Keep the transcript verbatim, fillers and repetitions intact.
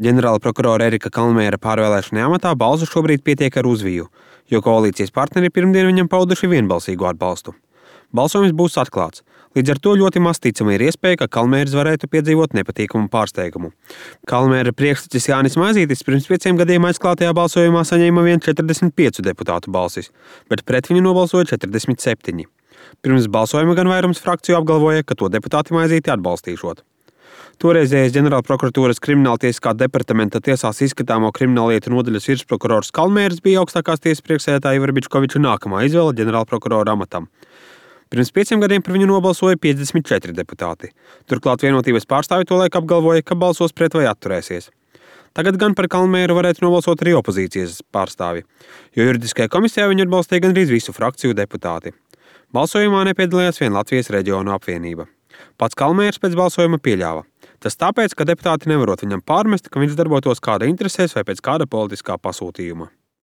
Ģenerāla prokurora Erika Kalmēra pārvēlēšanai amatā balsu šobrīd pietiek ar uzviju, jo koalīcijas partneri pirmdien viņam pauduši vienbalsīgu atbalstu. Balsojums būs atklāts, līdz ar to ļoti maz ticama ir iespēja, ka Kalmērs varētu piedzīvot nepatīkamu pārsteigumu. Kalmēra priekštecis Jānis Maizītis pirms pieciem gadiem aizklātajā balsojumā saņēma vien četrdesmit piecu deputātu balsis, bet pret viņu nobalsoja četrdesmit septiņi. Pirms balsojuma gan vairums frakciju apgalvoja, ka to deputāti Maizīti atbalstīšot. Toreizējais ģenerālprokuratūras krimināltiesiskā departamenta tiesās izskatāmo krimināllietu nodaļas virsprokurors Kalmērs bija augstākās tiesas priekšsēdētāja Ivara Bičkoviča nākamā izvēle ģenerālprokurora amatam. Pirms pieciem gadiem par viņu nobalsoja piecdesmit četri deputāti. Turklāt Vienotības pārstāvi tolaik apgalvoja, ka balsos pret vai atturēsies. Tagad gan par Kalmēru varētu nobalsot arī opozīcijas pārstāvi, jo juridiskajā komisijā viņu atbalstīja gandrīz visu frakciju deputāti. Balsojumā nepiedalījās vien Latvijas reģionu apvienība. Pats Kalmērs pēc balsojuma pieļāva. Tas tāpēc, ka deputāti nevarot viņam pārmest, ka viņš darbotos kāda interesēs vai pēc kāda politiskā pasūtījuma.